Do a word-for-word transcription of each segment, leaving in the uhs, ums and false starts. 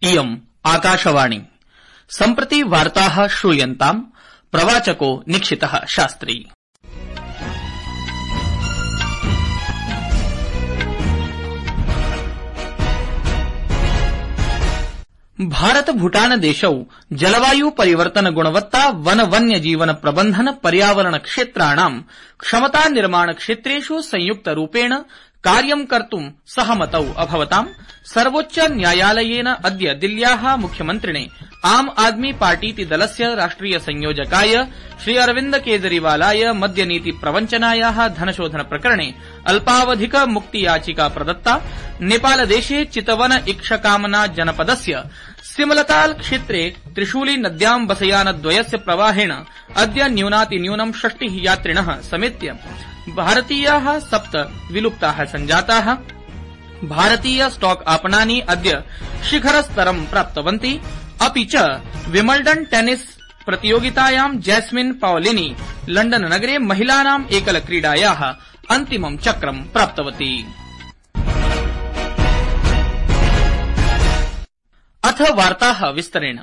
इयम् आकाशवाणी। सम्प्रति वार्ताः श्रूयन्ताम्। प्रवाचको निक्षितः शास्त्री। भारत भूटान देशौ जलवायु परिवर्तन गुणवत्ता वन वन्य जीवन प्रबंधन पर्यावरण क्षेत्राणां क्षमता निर्माण क्षेत्रेषु संयुक्त रूपेण कार्यं कर्तुं सहमतौ अभवताम्। सर्वोच्च न्यायालयेन अद्य दिल्ल्याः मुख्यमन्त्रिणे आम आदमी पार्टीति दलस्य राष्ट्रिय संयोजकाय श्री अरविन्द केजरीवालाय मद्यनीति प्रवञ्चनायाः धनशोधन प्रकरणे अल्पावधिक मुक्ति याचिका प्रदत्ता। नेपालदेशे चितवन इक्षकामना जनपदस्य सिमलताल क्षेत्रे त्रिशूली नद्यां बसयानद्वयस्य प्रवाहेण अद्य न्यूनातिन्यूनं षष्टिः यात्रिणः समेत्य भारतीयाः सप्त विलुप्ताः सञ्जाताः। भारतीय स्टॉक आपणानि अद्य शिखरस्तरं प्राप्तवन्ति। अपि च विमल्डन टेनिस प्रतियोगितायां जैस्मिन पाओलिनी लंडन नगरे महिलानां एकल क्रीडायाः अन्तिमं चक्रं प्राप्तवती। अथ वार्ताः विस्तरेण।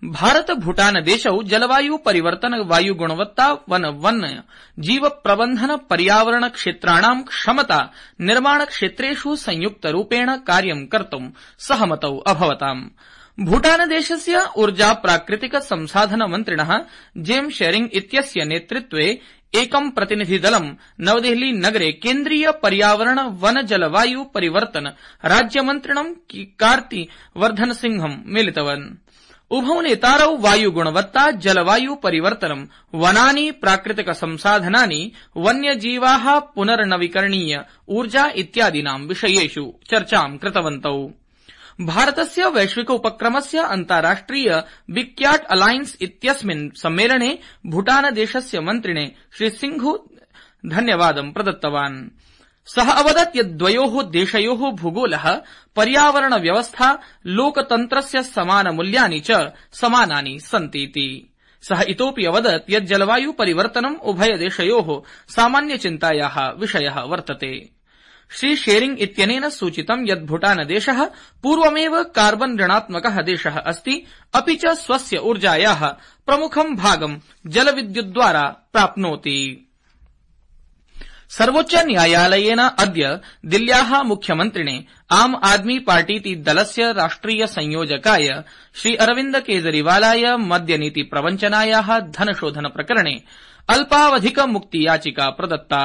भारत भूटान देशौ जलवायु परिवर्तन वायु गुणवत्ता वन वन्य जीव प्रबंधन पर्यावरण क्षेत्राणां क्षमता निर्माण क्षेत्रेषु संयुक्त रूपेण कार्यं कर्तुं सहमतौ अभवताम्। भूटान देशस्य ऊर्जा प्राकृतिक संसाधन मन्त्रिणः जेम्स शेरिंग इत्यस्य नेतृत्वे एकं प्रतिनिधिदलं नवदेहली नगरे केन्द्रीय पर्यावरण वन जलवायु परिवर्तन राज्यमन्त्रिणं कार्ति वर्धन सिंहं मिलितवन्। उभौ नेतारौ वायु गुणवत्ता जलवायु परिवर्तनं वनानि प्राकृतिक संसाधनानि वन्यजीवाः पुनर्नवीकरणीय ऊर्जा इत्यादीनां विषयेषु चर्चां कृतवन्तौ। भारतस्य वैश्विक उपक्रमस्य अन्ताराष्ट्रिय बिग क्याट अलायन्स इत्यस्मिन् सम्मेलने भूटान देशस्य मन्त्रिणे श्री सिंघु धन्यवादं प्रदत्तवान्। सः अवदत् यत् द्वयोः देशयोः भूगोलः पर्यावरण व्यवस्था लोकतन्त्रस्य समानमूल्यानि च समानानि सन्तीति। सः इतोऽपि अवदत् यत् जलवायु परिवर्तनम् उभयदेशयोः सामान्यचिन्तायाः विषयः वर्तते। श्री शेरिंग इत्यनेन सूचितं यत् भूटान देशः पूर्वमेव कार्बन ऋणात्मकः देशः अस्ति। अपि च स्वस्य ऊर्जायाः प्रमुखं भागं जलविद्युद्द्वारा प्राप्नोति। सर्वोच्च न्यायालयेन अद्य दिल्ल्याः मुख्यमन्त्रिणे आम आदमी पार्टीति दलस्य राष्ट्रिय संयोजकाय श्री अरविन्द केजरीवालाय मद्यनीति प्रवञ्चनायाः धनशोधन प्रकरणे अल्पावधिक मुक्ति याचिका प्रदत्ता।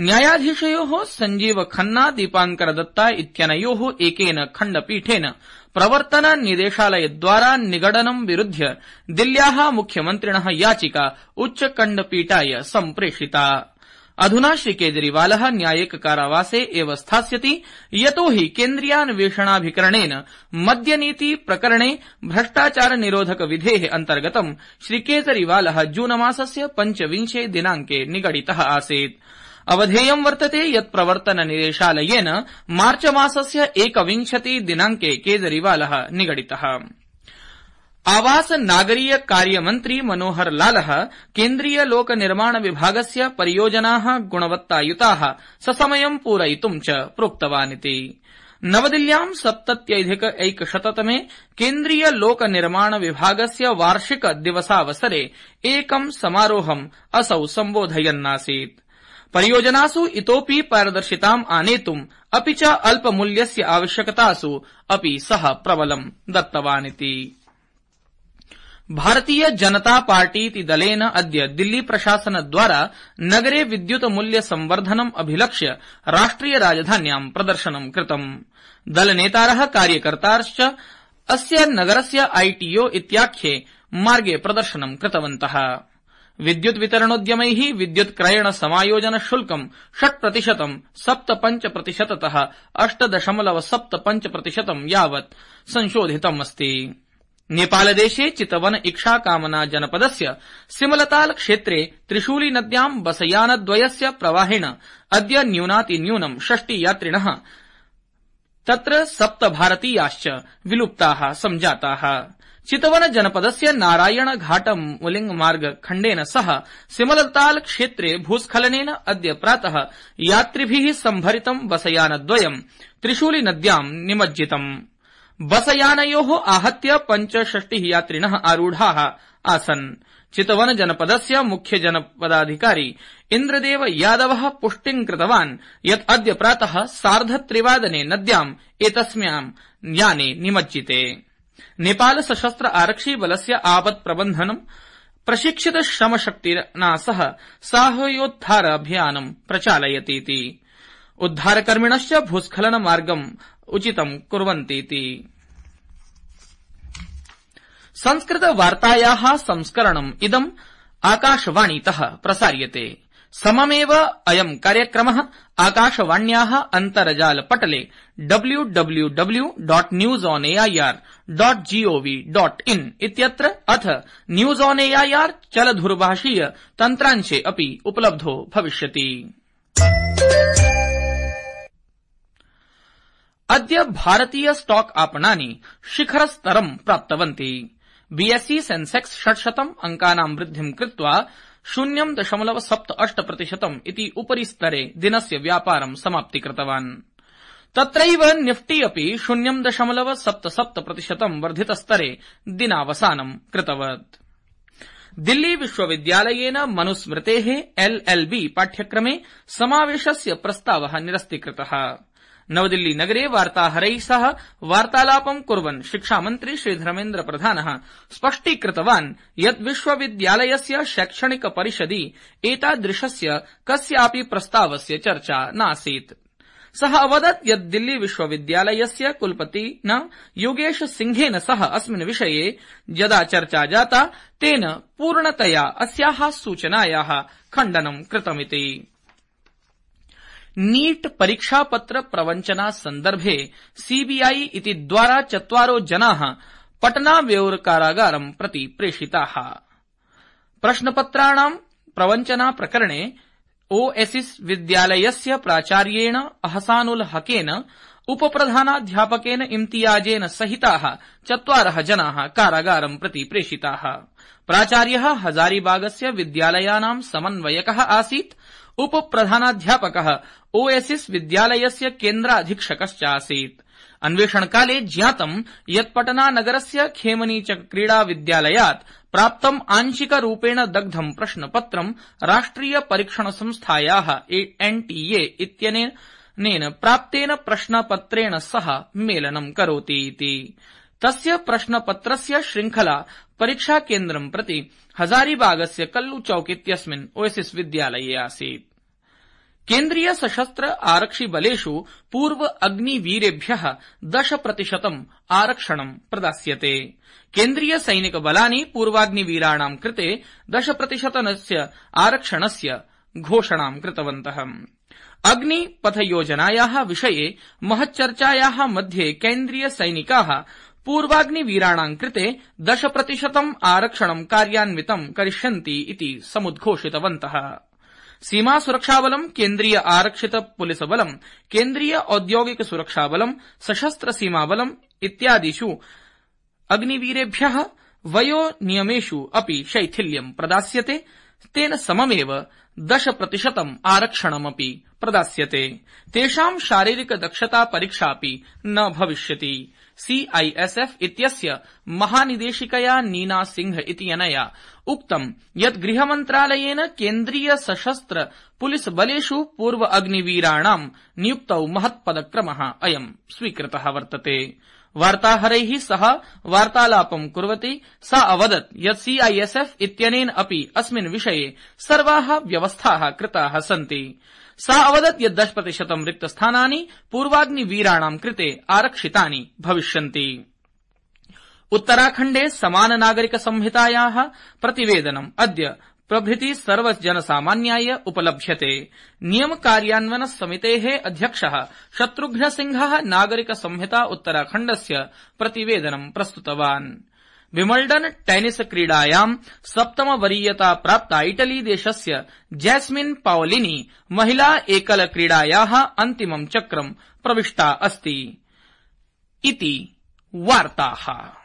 न्यायाधीशयोः संजीव खन्ना दीपांकर दत्ता इत्यनयोः एकेन खण्डपीठेन प्रवर्तन निदेशालयद्वारा निगडनं विरुध्य दिल्ल्याः मुख्यमन्त्रिणः याचिका उच्चखण्डपीठाय सम्प्रेषिता। अधुना श्री केजरीवालः न्यायिक कारावासे एव स्थास्यति, यतो हि केन्द्रीयान्वेषणाभिकरणेन मद्यनीति प्रकरणे भ्रष्टाचार निरोधक विधेः अन्तर्गतं श्री केजरीवालः जूनमासस्य पञ्चविंशे दिनाङ्के निगडितः आसीत्। अवधेयं वर्तते यत् प्रवर्तन निदेशालयेन मार्च मासस्य एकविंशति दिनाङ्के केजरीवालः निगडितः। आवास नागरीय कार्यमन्त्री मनोहर लालः केन्द्रीय लोक निर्माण विभागस्य परियोजनाः गुणवत्तायुताः ससमयं पूरयितुं च प्रोक्तवानिति। नवदिल्ल्यां सप्तत्यधिक एकशततमे केन्द्रीय लोक निर्माण विभागस्य वार्षिक दिवसावसरे एकं समारोहम् असौ सम्बोधयन्नासीत्। परियोजनासु इतोऽपि पारदर्शिताम् आनेतुम् अपि च अल्पमूल्यस्य आवश्यकतासु अपि सः प्रबलं दत्तवानिति। भारतीय जनता पार्टीति दलेन अद्य दिल्ली प्रशासनद्वारा नगरे विद्युत मूल्य संवर्धनम् अभिलक्ष्य राष्ट्रिय राजधान्यां प्रदर्शनं कृतम्। दलनेतारः कार्यकर्तारश्च अस्य नगरस्य आईटीओ इत्याख्ये मार्गे प्रदर्शनं कृतवन्तः। विद्युत वितरणोद्यमैः विद्युत क्रयण समायोजन शुल्कं षट् प्रतिशतं सप्त पञ्च प्रतिशततः अष्ट दशमलव सप्त पञ्च प्रतिशतं यावत् संशोधितमस्ति। नेपालदेशे चितवन इक्षा कामना जनपदस्य सिमलताल क्षेत्रे त्रिशूली नद्यां बसयानद्वयस्य प्रवाहेण अद्य न्यूनातिन्यूनं षष्टि यात्रिणः तत्र सप्त भारतीयाश्च विलुप्ताः सञ्जाताः। चितवन जनपदस्य नारायण घाट मुलिंग मार्ग खण्डेन सह सिमलताल क्षेत्रे भूस्खलनेन अद्य प्रातः यात्रिभिः सम्भरितं बसयानद्वयं त्रिशूली नद्यां निमज्जितम्। बसयानयोः आहत्य पञ्चषष्टिः यात्रिणः आरूढाः आसन्। चितवन जनपदस्य मुख्य जनपदाधिकारी इन्द्रदेव यादवः पुष्टिं कृतवान् यत् अद्य प्रातः सार्धत्रिवादने नद्याम् एतस्यां याने निमज्जिते। नेपाल सशस्त्र आरक्षि बलस्य आपत् प्रबन्धनं प्रशिक्षित श्रमशक्तिना सह साहाय्योद्धार अभियानं प्रचालयतीति। उद्धारकर्मिणश्च भूस्खलन मार्गम् उचितं कुर्वन्तीति। संस्कृत वार्तायाः संस्करणम् इदम् आकाशवाणीतः प्रसार्यते। सममेव अयम् कार्यक्रमः आकाशवाण्याः अन्तर्जालपटले W W W dot news on AIR dot gov dot in इत्यत्र अथ न्यूज ऑन एआईआर चलधुरभाषीय तन्त्रांशे अपि उपलब्धो भविष्यति। अद्य भारतीय स्टॉक आपणानि शिखरस्तरं प्राप्तवन्ति। बीएसई सेंसेक्स षट्शतम् अंकानां वृद्धिं कृत्वा शून्यं दशमलव सप्त अष्ट प्रतिशतम् इति उपरिस्तरे दिनस्य व्यापारं समाप्तीकृतवान्। तत्रैव निफ्टी अपि शून्यं दशमलव सप्त सप्त प्रतिशतम् वर्धितस्तरे दिनावसानं कृतवत्। दिल्ली विश्वविद्यालयेन मनुस्मृतेः एलएलबी पाठ्यक्रमे समावेशस्य प्रस्तावः निरस्तीकृतः। नवदिल्ली नगरे वार्ताहरैः सह वार्तालापं कुर्वन् शिक्षामन्त्री श्रीधर्मेन्द्र प्रधानः स्पष्टीकृतवान् यत् विश्वविद्यालयस्य शैक्षणिक परिषदि एतादृशस्य कस्यापि प्रस्तावस्य चर्चा नासीत्। सः अवदत् यत् दिल्ली विश्वविद्यालयस्य कुलपतिना योगेश सिंहेन सह अस्मिन् विषये यदा चर्चा जाता तेन पूर्णतया अस्याः सूचनायाः खण्डनं कृतमिति। नीट परीक्षापत्र प्रवञ्चना सन्दर्भे सीबीआई इति द्वारा चत्वारो जनाः पटना व्यौर कारागारं प्रति प्रेषिताः। प्रश्नपत्राणां प्रवञ्चना प्रकरणे ओएसिस विद्यालयस्य प्राचार्येण अहसानुल हकेन उपप्रधानाध्यापकेन इम्तियाजेन सहिताः चत्वारः जनाः कारागारं प्रति प्रेषिताः। प्राचार्यः हजारीबागस्य विद्यालयानां समन्वयकः आसीत्। उपप्रधानाध्यापकः ओएसिस विद्यालयस्य केन्द्राधीक्षकश्च आसीत्। अन्वेषणकाले ज्ञातं यत् पटना नगरस्य खेमनीचक क्रीडा विद्यालयात् प्राप्तम् आंशिकरूपेण दग्धं प्रश्नपत्रं राष्ट्रिय परीक्षण संस्थायाः एनटीए इत्यनेन प्राप्तेन प्रश्नपत्रेण सह मेलनं करोति इति। तस्य प्रश्नपत्रस्य श्रृंखला परीक्षाकेन्द्रं प्रति हजारीबागस्य कल्लू चौक इत्यस्मिन् ओएसिस विद्यालये आसीत्। केन्द्रीय सशस्त्र आरक्षिबलेषु पूर्व अग्निवीरेभ्यः दश प्रतिशतम् आरक्षणं प्रदास्यते। केन्द्रीय सैनिक बलानि पूर्वाग्निवीराणां कृते दश प्रतिशतस्य आरक्षणस्य घोषणां कृतवन्तः। अग्निपथ योजनायाः विषये महच्चर्चायाः मध्ये केन्द्रीय सैनिकाः पूर्वाग्निवीराणां कृते दश प्रतिशतम् आरक्षणं कार्यान्वितं करिष्यन्ति इति समुद्घोषितवन्तः। सीमा सुरक्षाबलं, केन्द्रीय आरक्षित पुलिस बलं, केन्द्रीय औद्योगिक सुरक्षाबलं, सशस्त्र सीमाबलम् इत्यादिषु अग्निवीरेभ्यः वयोनियमेषु अपि शैथिल्यं प्रदास्यते। तेन सममेव दश प्रतिशतम् आरक्षणमपि प्रदास्यते। तेषां शारीरिक दक्षता परीक्षापि न भविष्यति। सीआईएसएफ इत्यस्य महानिदेशिकया नीना सिंह इत्यनया उक्तं यत् गृहमन्त्रालयेन केन्द्रीय सशस्त्र पुलिस बलेषु पूर्व अग्निवीराणां नियुक्तौ महत्पदक्रमः अयं स्वीकृतः वर्तते। वार्ताहरैः सह वार्तालापं कुर्वती सा अवदत् यत् सीआईएसएफ इत्यनेन अपि अस्मिन् विषये सर्वाः व्यवस्थाः कृताः सन्ति। सा अवदत् यत् दश प्रतिशतं रिक्तस्थानानि पूर्वाग्निवीराणां कृते आरक्षितानि भविष्यन्ति। उत्तराखण्डे समान नागरिक संहितायाः प्रतिवेदनम् अद्य प्रभृति सर्वजनसामान्याय उपलभ्यते। नियम कार्यान्वयन समितेः अध्यक्षः शत्रुघ्न सिंहः नागरिक संहिता उत्तराखण्डस्य प्रतिवेदनं प्रस्तुतवान्। विमल्डन टेनिस क्रीडायां सप्तम वरीयता प्राप्ता इटली देशस्य जैस्मिन पाओलिनी महिला एकल क्रीडायाः अन्तिमं चक्रं प्रविष्टा अस्ति इति वार्ताः।